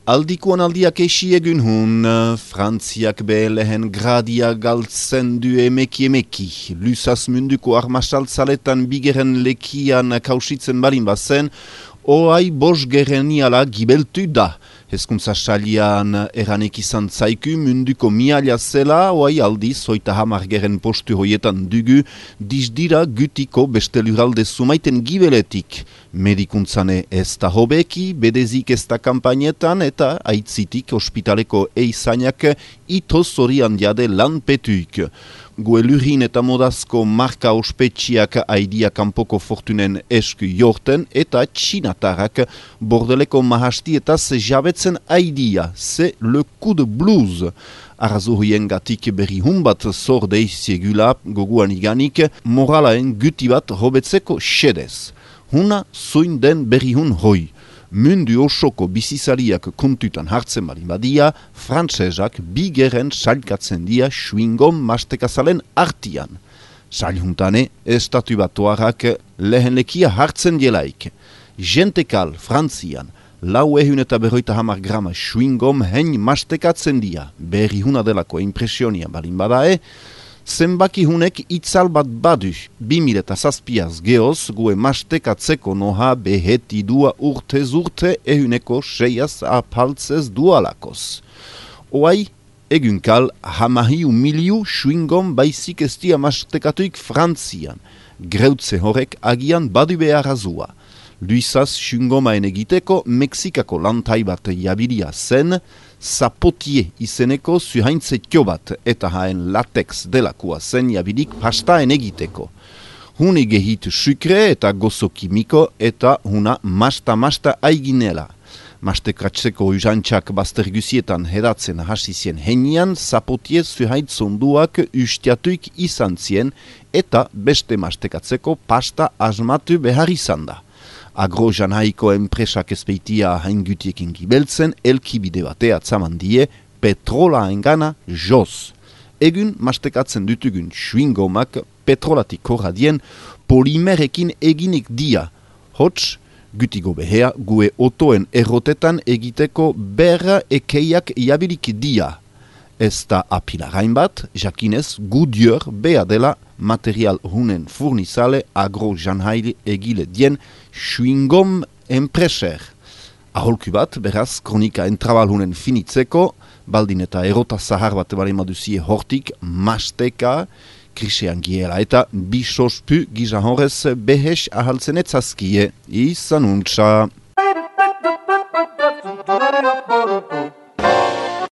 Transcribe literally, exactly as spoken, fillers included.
Aldikuan aldiak esi egun hun, Frantziak be lehen gradia galtzen du emeki emeki. Lusaz munduko armasaltzaletan bigeren lekian kausitzen balin bazen, oai bos gereniala gibeltu da. Hezkuntza salian eranek izan zaiku munduko mialia zela, oai aldiz, oita hamar geren postu hoietan dugu, dizdira gutiko beste luralde sumaiten gibeletik. Medikuntzane ez da hobeki, bedezik ez da kampainetan eta aitzitik ospitaleko eizainak ito zorian diade lanpetuik. Gue lurin eta modazko marka ospetxiak aidia kanpoko fortunen esku jorten eta txinatarrak bordeleko mahastietaz jabetzen aidia, ze le coup de blues. Arrazohien gatik berri hun bat zor deiziegula goguan iganik, moralaen guti bat hobetzeko xedez. Huna zoin den berri hun hoi. Mundu osoko bizizariak kontutan hartzen balin badia, frantsesak bigeren salkatzen dia chewing-gum mastekazalen artian. Saljuntane, estatu batuarrak lehen lekia hartzen dielaik. Jentekal, Frantzian, lau ehun eta berroita hamar grama chewing-gum hein mastekatzen dia, berri huna delako impresionia balin badae, zenbaki hunek itzal bat badu, bimil eta zazpiaz geoz, gue mastekatzeko noha beheti dua urtez urte ehuneko seiaz apaltzez dualakoz. Oai, egunkal, hamahiu miliu chewing-gum baizik ez dia mastekatuik Frantzian. Greutze horrek agian badu behar azua. Luizaz chewing-gumaen egiteko Mexikako lantai bat jabilia zen, zapotie izeneko zuhaintze tio bat eta haen latex delakua zen jabilik pastaen egiteko. Hune gehitu sukre eta gozo kimiko eta huna masta-masta aiginela. Mastekatzeko uzantxak baztergusietan hedatzen hasizien henian, zapotie zuhaitzonduak ustiatuik izan zien eta beste mastekatzeko pasta asmatu behar izan da. Agro-janhaiko enpresak ezpeitia haingutiekin gibeltzen, elkibide batea atzaman die, petrola engana joz. Egun mastekatzen dutugun chewing-gumak petrolatik korradien polimerekin eginik dia. Hots, gutigo behea, gue otoen errotetan egiteko berra ekeiak jabilik dia. Ez da apilarain bat, jakinez Goodyear bea dela material hunen furnizale agro-janhaile egile dien chewing-gum enpreser. Aholku bat, beraz, kronika entrabal hunen finitzeko, baldin eta erota zahar bat balemaduzie hortik, masteka, krisean giela eta bisospu gizan horrez behes ahaltzenetzazkie. Izan untsa.